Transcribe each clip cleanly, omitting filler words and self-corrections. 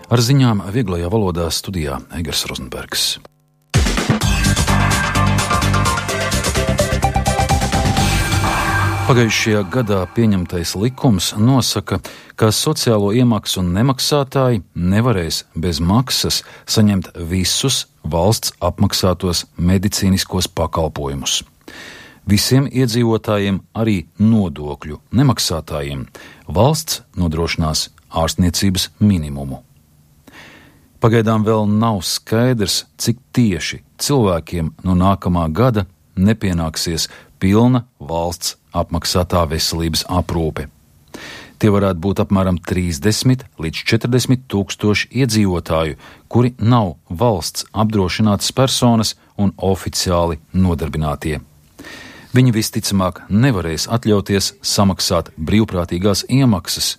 Ar ziņām vieglajā valodā studijā Egers Rozenbergs. Pagājušajā gadā pieņemtais likums nosaka, ka sociālo iemaksu nemaksātāji nevarēs bez maksas saņemt visus valsts apmaksātos medicīniskos pakalpojumus. Visiem iedzīvotājiem, arī nodokļu nemaksātājiem, valsts nodrošinās ārstniecības minimumu. Pagaidām vēl nav skaidrs, cik tieši cilvēkiem no nākamā gada nepienāksies pilna valsts apmaksātā veselības aprūpe. Tie varētu būt apmēram 30 līdz 40 tūkstoši iedzīvotāju, kuri nav valsts apdrošinātas personas un oficiāli nodarbinātie. Viņi visticamāk nevarēs atļauties samaksāt brīvprātīgās iemaksas,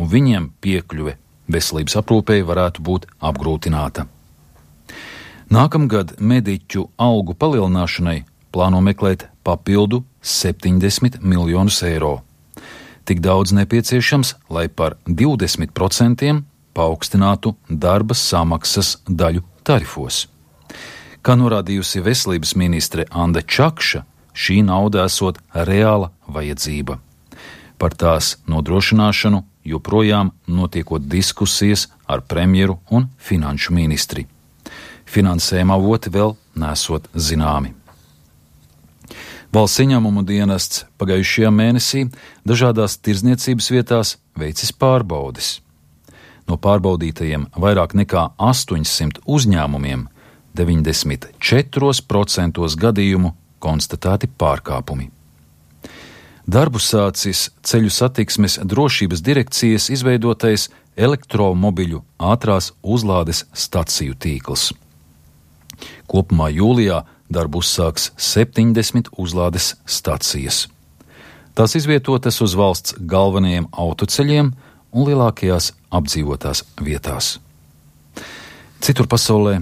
un viņiem piekļuve veselības aprūpei varētu būt apgrūtināta. Nākamgad mediķu algu palielināšanai plāno meklēt papildu 70 miljonus eiro. Tik daudz nepieciešams, lai par 20% paaugstinātu darba samaksas daļu tarifos. Kā norādījusi veselības ministre Anda Čakša, šī nauda esot reāla vajadzība. Par tās nodrošināšanu joprojām notiekot diskusijas ar premjeru un finanšu ministri. Finansējuma avoti vēl nesot zināmi. Valsts ieņēmumu dienests pagājušajā mēnesī dažādās tirdzniecības vietās veicis pārbaudes. No pārbaudītajiem vairāk nekā 800 uzņēmumiem 94% gadījumu konstatēti pārkāpumi. Darbu sācis ceļu satiksmes drošības direkcijas izveidotais elektromobiļu ātrās uzlādes staciju tīkls. Kopumā jūlijā darbu uzsāks 70 uzlādes stacijas. Tās izvietotas uz valsts galvenajiem autoceļiem un lielākajās apdzīvotās vietās. Citur pasaulē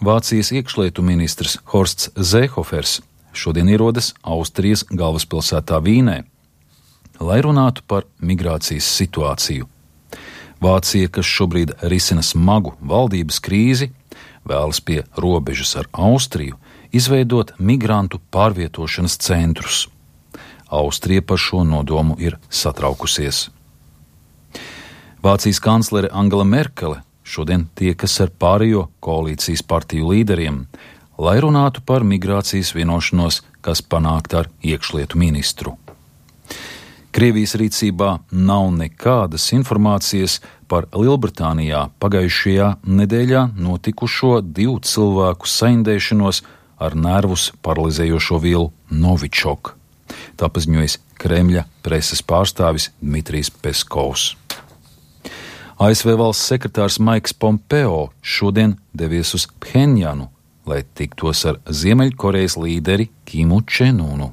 Vācijas iekšlietu ministrs Horsts Zēhofers šodien ierodas Austrijas galvaspilsētā Vīnē, lai runātu par migrācijas situāciju. Vācija, kas šobrīd risina smagu valdības krīzi, vēlas pie robežas ar Austriju izveidot migrantu pārvietošanas centrus. Austrija par šo nodomu ir satraukusies. Vācijas kanclere Angela Merkele šodien tiekas ar pārējo koalīcijas partiju līderiem, lai runātu par migrācijas vienošanos, kas panākta ar iekšlietu ministru. Krievijas rīcībā nav nekādas informācijas par Lielbritānijā pagājušajā nedēļā notikušo 2 cilvēku saindēšanos ar nervus paralizējošo vielu Novičok. Tā paziņojis Kremļa preses pārstāvis Dmitrijs Peskovs. ASV valsts sekretārs Maiks Pompeo šodien devies uz Phenjanu, lai tiktos ar Ziemeļkorejas līderi Kimu Čenunu.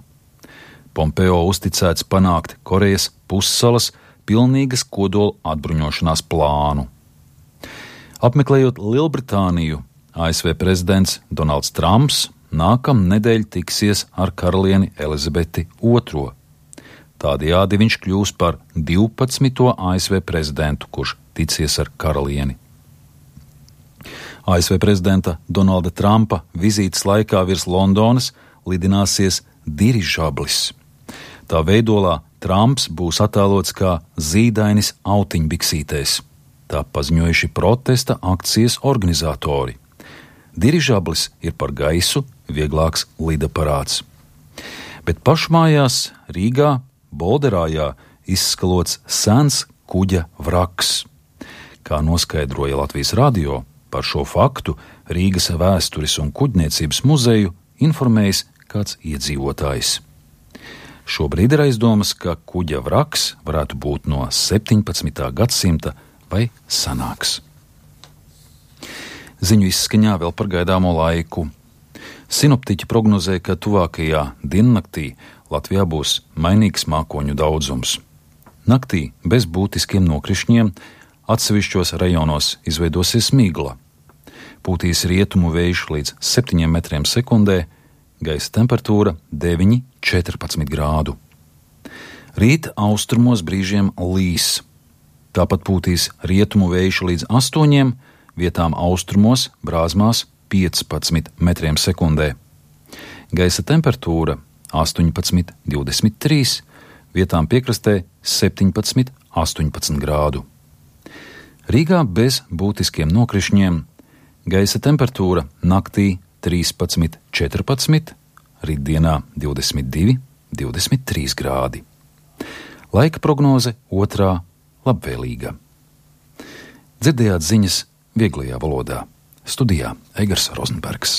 Pompeo uzticēts panākt Korejas pussalas pilnīgas kodola atbruņošanās plānu. Apmeklējot Lielbritāniju, ASV prezidents Donalds Trumps nākamnedēļ tiksies ar karalieni Elizabeti II. Tādējādi viņš kļūs par 12. ASV prezidentu, kurš ticies ar karalieni. ASV prezidenta Donalda Trumpa vizītes laikā virs Londonas lidināsies dirižablis. Tā veidolā Trumps būs attēlots kā zīdainis autiņbiksītēs. Tā paziņojuši protesta akcijas organizatori. Dirižablis ir par gaisu vieglāks lidaparāts. Bet pašmājās Rīgā, Bolderājā izskalots sens kuģa vraks. Kā noskaidroja Latvijas radio, par šo faktu Rīgas vēstures un kuģniecības muzeju informējis kāds iedzīvotājs. Šobrīd ir aizdomas, ka kuģa vraks varētu būt no 17. gadsimta vai senāks. Ziņu izskaņā vēl par gaidāmo laiku. Sinoptiķi prognozē, ka tuvākajā diennaktī Latvijā būs mainīgs mākoņu daudzums. Naktī bez būtiskiem nokrišņiem atsevišķos rajonos izveidosies migla. Pūtīs rietumu vējš līdz 7 metriem sekundē, gaisa temperatūra 9–14 grādu. Rīt austrumos brīžiem līs. Tāpat pūtīs rietumu vējš līdz 8, vietām austrumos brāzmās 15 metriem sekundē. Gaisa temperatūra 18–23, vietām piekrastē 17–18 grādu. Rīgā bez būtiskiem nokrišņiem, gaisa temperatūra naktī 13–14, rītdienā 22–23 grādi. Laika prognoze 2. labvēlīga. Dzirdējāt ziņas vieglajā valodā. Studijā Egars Rozenbergs.